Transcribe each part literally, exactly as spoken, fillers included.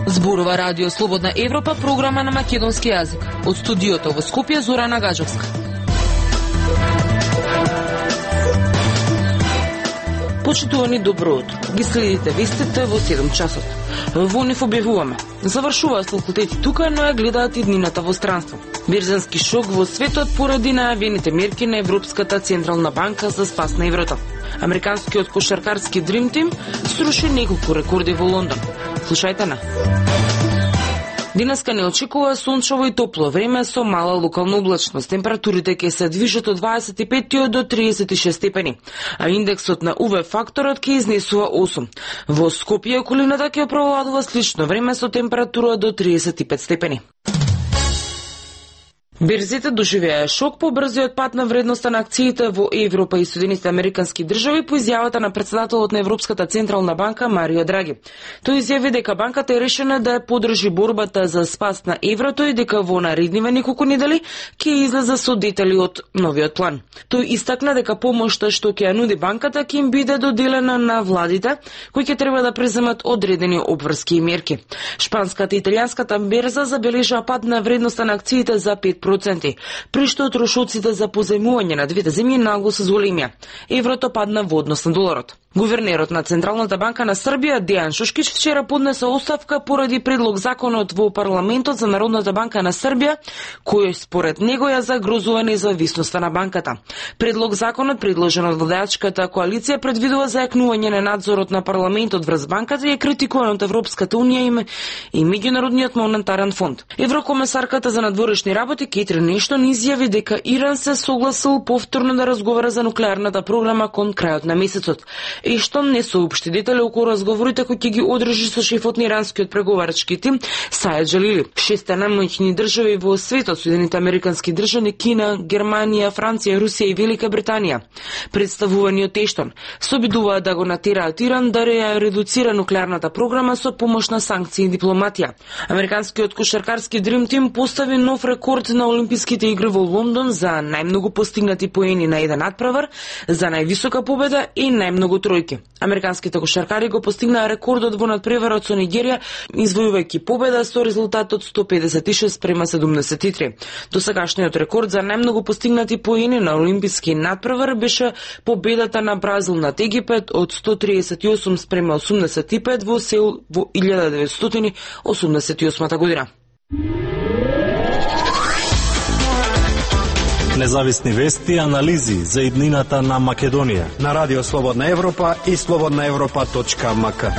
Зборува Радио Слободна Европа, програма на македонски јазик. Од студиото во Скопје, Зорана Гаджовска. Почитувани, добро утро. Ги следите вестите во седум часот. Во нив објавуваме: завршуваат факултети тука, но ја гледаат и днината во странство. Берзански шок во светот поради најавените мерки на Европската централна банка за спас на еврото. Американскиот кошаркарски Dream Team сруши неколку рекорди во Лондон. Слушајте на. Денеска не очекува сончево и топло време со мала локална облачност. Температурите ќе се движат од дваесет и пет до триесет и шест степени, а индексот на У В факторот ќе изнесува осум. Во Скопје околината ќе провладува слично време со температура до триесет и пет степени. Берзите доживеа шок по брзиот пат на вредноста на акциите во Европа и Соединетите Американски држави по изјавата на председателот на Европската централна банка Марио Драги. Тој изјави дека банката е решена да ја подржи борбата за спас на еврото и дека во наредниве неколку недели ќе излезе со детали од новиот план. Тој истакна дека помошта што ќе ја нуди банката ќе им биде доделена на владите, кои ќе треба да преземат одредени обврски и мерки. Шпанската и италијанската берза забележаа пад на вредноста на акциите за пет проценти, при што трошоците за позајмување на двете земји нагло се зголемија. Еврото падна во однос на доларот. Гувернерот на Централната банка на Србија Дејан Шушкич вчера поднесе оставка поради предлог законот во парламентот за Народната банка на Србија, кој според него ја загрозува независноста на банката. Предлог законот, предложен од владеачката коалиција, предвидува зајакнување на надзорот на парламентот врз банката и е критикуван од Европската унија и Меѓународниот монетарен фонд. Еврокомесарката за надворешни работи Кетрин Ештон изјави дека Иран се согласил повторно да разговара за нуклеарната програма кон крајот на месецот. Ештон не соопшти детали околу разговорите кои ќе ги одржи со шефот на иранскиот преговарачки тим Сајед Джалили. Шесте најмоćни држави во светот, Соединените Американски држави, Кина, Германија, Франција, Русија и Велика Британија, представувани од Ештон, се обидуваат да го натераат Иран да ја редуцира нуклеарната програма со помош на санкции и дипломатија. Американскиот кошаркарски Dream Team постави нов рекорд на Олимписките игри во Лондон за најмногу постигнати поени на еден надпревар, за највисока победа и најмногу тројки. Американските кошаркари го постигнаа рекордот во надпреварот со Нигерија, извојувајќи победа со резултатот сто педесет и шест спрема седумдесет и три. Досегашниот рекорд за најмногу постигнати поени на олимписки надпревар беше победата на Бразил над Египет од сто триесет и осум спрема осумдесет и пет во Сеул во илјада деветстотини осумдесет и осма година. Независни вести и анализи за иднината на Македонија на Радио Слободна Европа и слободна европа точка ем ка.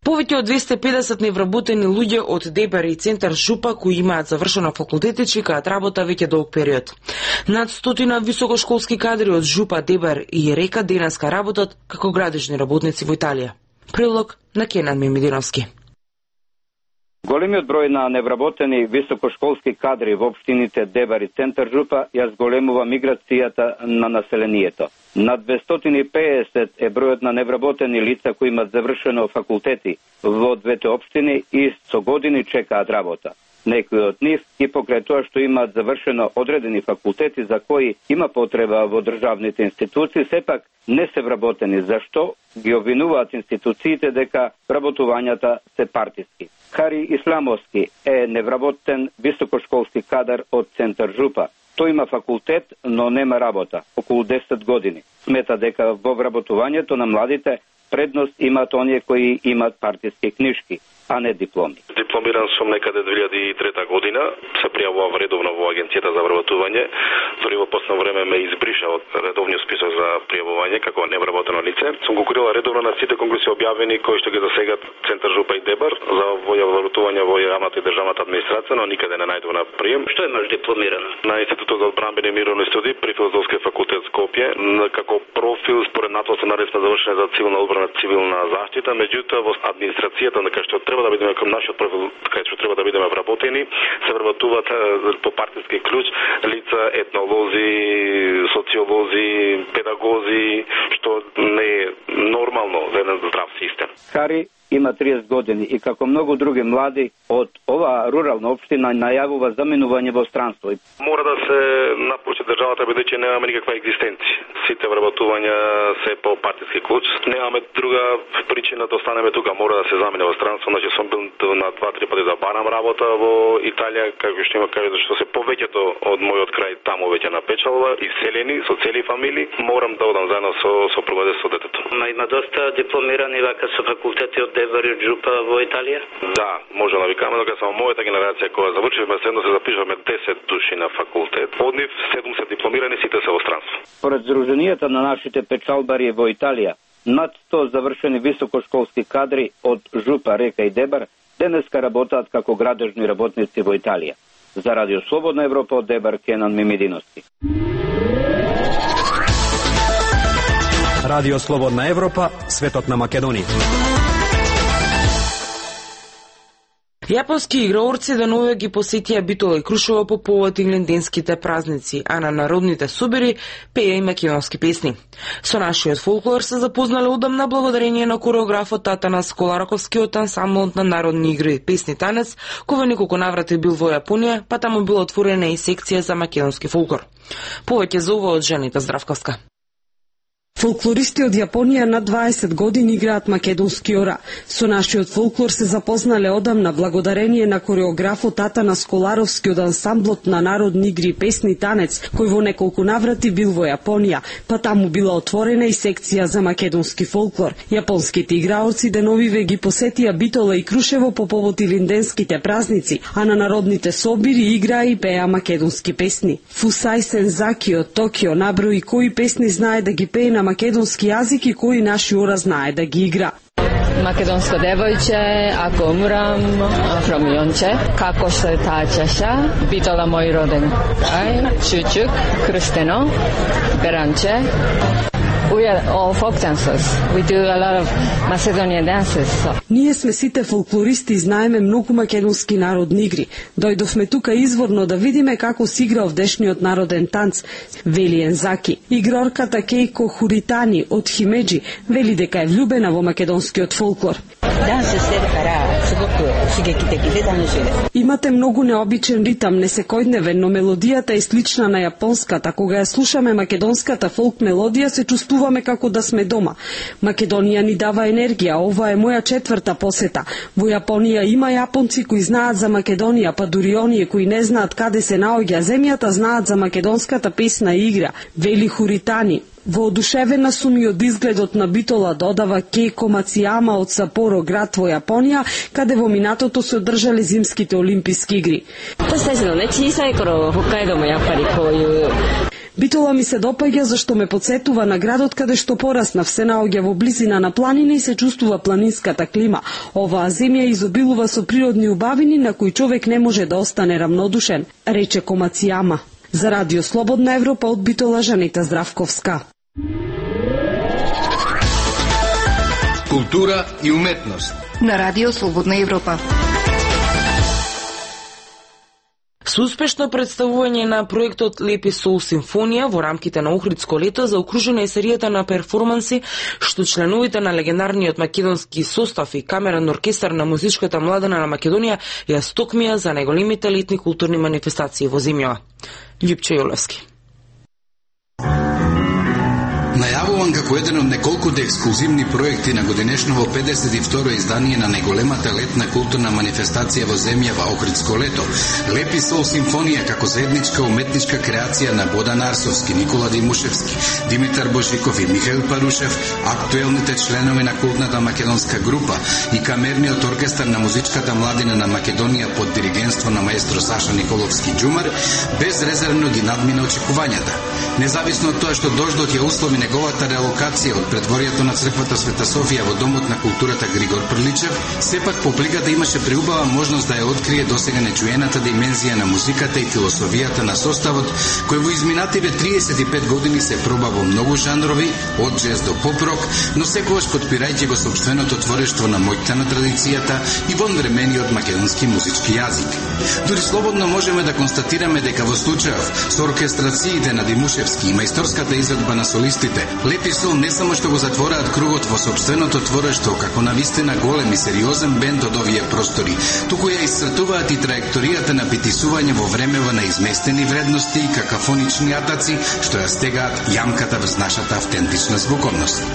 Повеќе од двесте и педесет невработени луѓе од Дебар и Центар Жупа кои имаат завршено факултети чекаат работа веќе долг период. Над стотина високошколски кадри од Жупа, Дебар и Река денеска работат како градежни работници во Италија. Прилог на Кенан Мемидиновски. Големиот број на невработени високошколски кадри во општините Дебар и Центар Жупа ја зголемува миграцијата на населението. На двестоти и педесет е бројот на невработени лица кои имаат завршено факултети во двете општини и со години чекаат работа. Некои од нив и покрај тоа што имаат завршено одредени факултети за кои има потреба во државните институции, сепак не се вработени, зашто ги обвинуваат институциите дека вработувањата се партиски. Хари Исламовски е невработен високошколски кадар од Центар Жупа. Тој има факултет, но нема работа, околу десет години. Смета дека во вработувањето на младите предност имаат оние кои имаат партиски книжки, а не дипломи. Дипломиран сум некаде две илјади и трета година, се пријавував редовно во агенцијата за вработување, дори во последно време ме избриша од редовниот список за пријавување како невработено лице. Сум конкурирала редовно на сите конкурси објавени кои што ги засегат Центар Жупа и Дебар за вработување во јавната и државната администрација, но никаде не најдов на прием. Што имаш дипломирано? На Институтот за одбранбени и мировни студии при Филозофскиот факултет Скопје, како профил според натовска наредба завршена за цивилна одбрана, цивилна заштита, меѓутоа во администрацијата на кај што треба да бидеме кон нашиот профил, кај што треба да бидеме вработени, се вработуваат по партиски клуч лица, етнолози, социолози, педагози, што не е нормално за еден здрав систем. Хари има триесет години и како многу други млади од оваа рурална општина најавува заминување во странство. Мора да се напуши државата, бидејќи немаме никаква екзистенција. Сите вработувања се по партиски клуч. Немаме друга причина да останеме тука, мора да се замине во странство. Значи сум бил на два-три пати да барам работа во Италија, како што има каже, што се повеќето од мојот крај таму веќе напечалва, иселени со цели фамилии. Морам да одам заедно со сопругата со детето. Ма има доста дипломирани вака со факултети од Дебар и Джупа во Италија? Да, може да викаме дека само мојата генерација која завршивме, седно се запишавме десет души на факултет. Од нив седум се дипломирани, сите се во странство. Според здруженијата на нашите печалбари во Италија, над сто завршени високошколски кадри од Жупа, Река и Дебар денеска работаат како градежни работници во Италија. За Радио Слободна Европа од Дебар, Кенан Мимидиновски. Радио Слободна Европа, светот на Македонија. Јапонски играорци деновиве ги посетија Битола и Крушево по повод игленденските празници, а на народните собери пеја и македонски песни. Со нашиот фолклор се запознале удамна благодарение на кореографот Татанас Колараковскиот ансамблот на народни игри песни танец, кој во неколку наврати бил во Јапонија, па таму била отворена и секција за македонски фолклор. Повеќе за ова од Жанита Здравковска. Фолклористи од Јапонија над дваесет години играат македонски ора. Со нашиот фолклор се запознале одамна благодарение на кореографот Татанас Коларовски од ансамблот на народни игри песни танец, кој во неколку наврати бил во Јапонија, па таму била отворена и секција за македонски фолклор. Јапонските играорци деновиве ги посетија Битола и Крушево по повод илинденските празници, а на народните собири играа и пеа македонски песни. Фусај Сензаки од Токио наброи кои песни знае да ги пее на македонски јазик и кои наши ора знае да ги игра. Македонско девојче, ако умрам, фромионче, како што е таа чаша, Битола мој роден крај, Чучук, Крстено, Беранче. We are all folk dancers. We do a lot of Macedonian dances. So. Ние сме сите фолклористи и знаеме многу македонски народни игри. Дојдовме тука изворно да видиме како се игра овдешниот народен танц, вели Ензаки. Игрорката Кейко Хуритани од Химеджи вели дека е влюбена во македонскиот фолклор. Имате многу необичен ритам, несекојдневен, но мелодијата е слична на јапонската. Кога ја слушаме македонската фолк мелодија, се чувствуваме како да сме дома. Македонија ни дава енергија. Ова е моја четврта посета. Во Јапонија има јапонци кои знаат за Македонија, па дури оние кои не знаат каде се наоѓа земјата, знаат за македонската песна и игра, вели Хуритани. Воодушевена сум и од изгледот на Битола, додава Кейко Мацијама од Сапоро, град во Јапонија, каде во минатото се одржале зимските олимписки игри. Битола ми се допаѓа зашто ме подсетува на градот каде што пораснав, се наоѓа во близина на планина и се чувствува планинската клима. Оваа земја изобилува со природни убавини на кои човек не може да остане равнодушен, рече Комацијама. За Радио Слободна Европа од Битола, Жанита Здравковска. Култура и уметност на Радио Слободна Европа. Со успешно представување на проектот Лепи Сол симфонија во рамките на Охридско лето заокружена е серијата на перформанси што членовите на легендарниот македонски состав и камерен оркестар на музичката младина на Македонија ја стокмија за најголемите летни културни манифестации во земјава. Љупче Јолевски. Најавуван како еден од неколкуте ексклузивни проекти на годинешново педесет и второ издание на најголемата летна културна манифестација во земјава Охридско лето, Лепи Сол симфонија како заедничка уметничка креација на Бодан Арсовски, Никола Димушевски, Димитар Божиков и Михаил Парушев, актуелните членови на култната македонска група и камерниот оркестар на музичката младина на Македонија под диригентство на маестро Саша Николовски Џумар, безрезервно ги надмина очекувањата. Независно од тоа што дождот ја услови неговата реалокација од предворието на црквата Света Софија во Домот на културата Григор Прличев, сепак публиката имаше преубава можност да ја открие досега нечуената димензија на музиката и философијата на составот, кој во изминативе триесет и пет години се проба во многу жанрови, од джез до поп-рок, но секогаш подпирајќи го сопственото творештво на моќта на традицијата и вонвремениот македонски музички јазик. Дури слободно можеме да констатираме дека во случајов со оркестрациите на Димушевски Янушевски и мајсторската изvedба на солистите, Лепи сол не само што го затвораат кругот во сопственото творештво како навистина голем и сериозен бенд од овие простори, туку ја исцртуваат и траекторијата на битисување во времева на изместени вредности и какафонични атаци што ја стегаат јамката врз нашата автентична звуковност.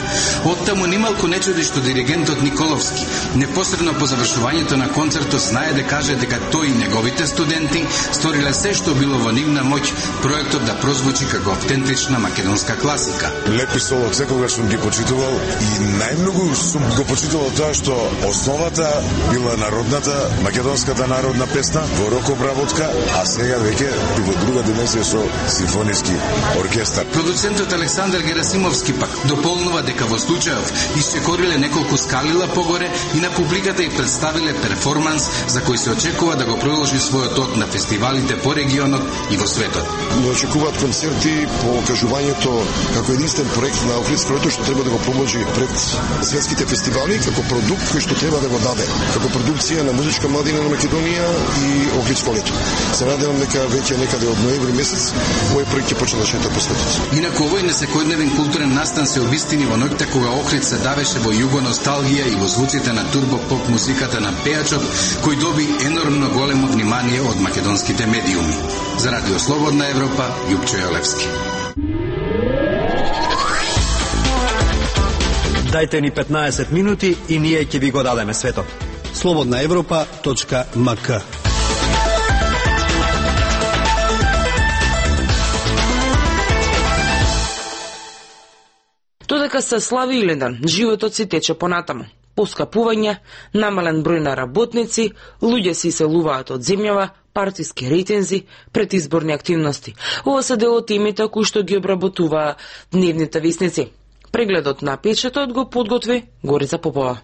Оттаму нималку не чуди што диригентот Николовски непосредно по завршувањето на концертот знае да каже дека тој и неговите студенти сториле се што било во нивна моќ проектот да прозвучи како автентична македонска класика. Лепи сол од секогаш сум ги почитувал и најмногу сум го почитувал тоа што основата била народната, македонската народна песна во рок обработка, а сега веќе и во друга дименсија со симфониски оркестар. Продуцентот Александар Герасимовски пак дополнува дека во случајов исчекориле неколку скалила погоре и на публиката и представиле перформанс за кој се очекува да го продолжи својот ток на фестивалите по регионот и во светот. Очекуваат концерти по кажувањето како единствен проект на Охридско лето што треба да го промоџи пред светските фестивали како продукт кој што треба да го даде како продукција на музичка младина на Македонија и Охридско лето. Се надевам дека веќе некаде од ноември месец овој проект ќе почне да шета по светот. Инаку овој несекојдневен културен настан се обистини во ноќта кога Охрид се давеше во југо носталгија и во звуците на турбо поп музиката на пејачот кој доби енормно големо внимание од македонските медиуми. За Радио Слободна Европа, Јупчо Јолевски. Дајте ни петнаесет минути и ние ќе ви го дадеме светот. слободна европа точка ем ка. Додека се слави Илинден, животот си тече понатаму. Поскапување, намален број на работници, луѓе се иселуваат од земјава, партиски рейтинзи, предизборни активности. Ова се дел од темите кои што ги обработуваа дневните висници. Прегледот на печатот го подготви Горица Попова.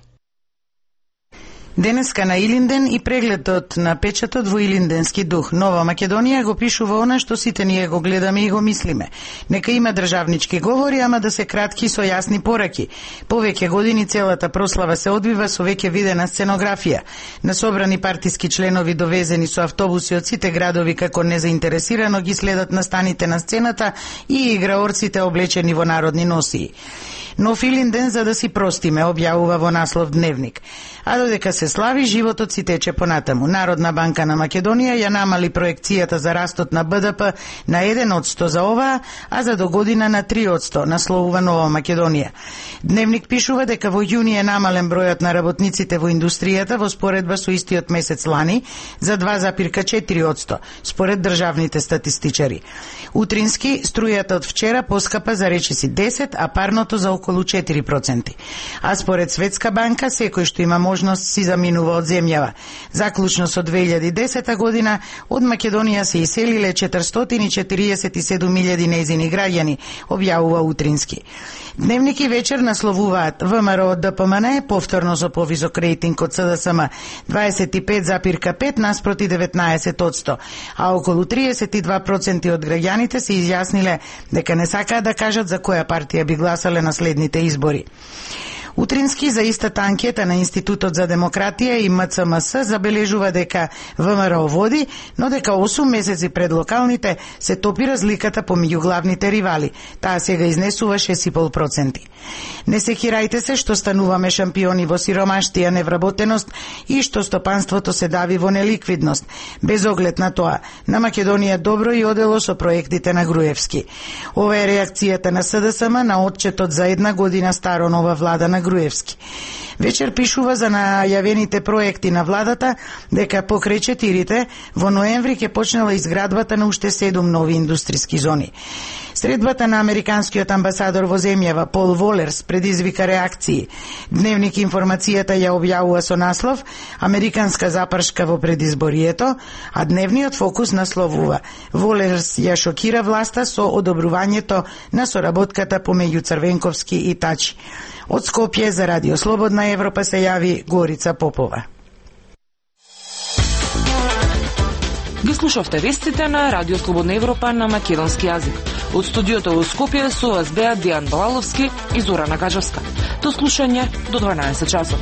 Денеска на Илинден и прегледот на печатот во илинденски дух. Нова Македонија го пишува она што сите ние го гледаме и го мислиме. Нека има државнички говори, ама да се кратки со јасни пораки. Повеќе години целата прослава се одвива со веќе видена сценографија. На собрани партиски членови довезени со автобуси од сите градови како незаинтересирано ги следат настаните на сцената и играорците облечени во народни носии. Нов Илинден за да си простиме, објавува во наслов Дневник. А додека се слави, животот си тече понатаму. Народна банка на Македонија ја намали проекцијата за растот на Б Д П на еден одсто за оваа, а за до година на три одсто, насловува Нова Македонија. Дневник пишува дека во јуни е намален бројот на работниците во индустријата во споредба со истиот месец лани за два запирка четири одсто, според државните статистичари. Утрински, струјата од вчера поскапа за речиси десет, а парното за околу четири проценти. А според Светска банка, секој што има можност си заминува од земјава. Заклучно со две илјади и десета година, од Македонија се иселиле четиристотини и четириесет и седум илјади нејзини граѓани, објавува Утрински. Дневник и вечер насловуваат В М Р од Д П М Н повторно со повисок рейтинг од С Д С М дваесет и пет запирка пет наспроти деветнаесет одсто, а околу триесет и два проценти од граѓаните се изјасниле дека не сакаат да кажат за која партија би гласале на следните избори. Утрински за истата анкета на Институтот за демократија и М Ц М С забележува дека В М Р води, но дека осум месеци пред локалните се топи разликата помеѓу главните ривали. Таа сега изнесува шест и пет проценти. Не се хирајте се што стануваме шампиони во сиромаштија, невработеност и што стопанството се дави во неликвидност. Без оглед на тоа, на Македонија добро и одело со проектите на Груевски. Ова е реакцијата на С Д С М на отчетот за една година старо нова влада на Груевски. Вечер пишува за најавените проекти на владата дека покрај четирите во ноември ќе почнела изградбата на уште седум нови индустријски зони. Средбата на американскиот амбасадор во земјава Пол Волерс предизвика реакции. Дневник информацијата ја објавува со наслов Американска запршка во предизборието, а дневниот фокус насловува Волерс ја шокира власта со одобрувањето на соработката помеѓу Црвенковски и Тачи. Од Скопје за Радио Слободна Европа се јави Горица Попова. Ги слушавте вестите на Радио Слободна Европа на македонски јазик. Од студиото во Скопје со вас беа Дијан Балаловски и Зорана Гаджевска. До слушање до дванаесет часот.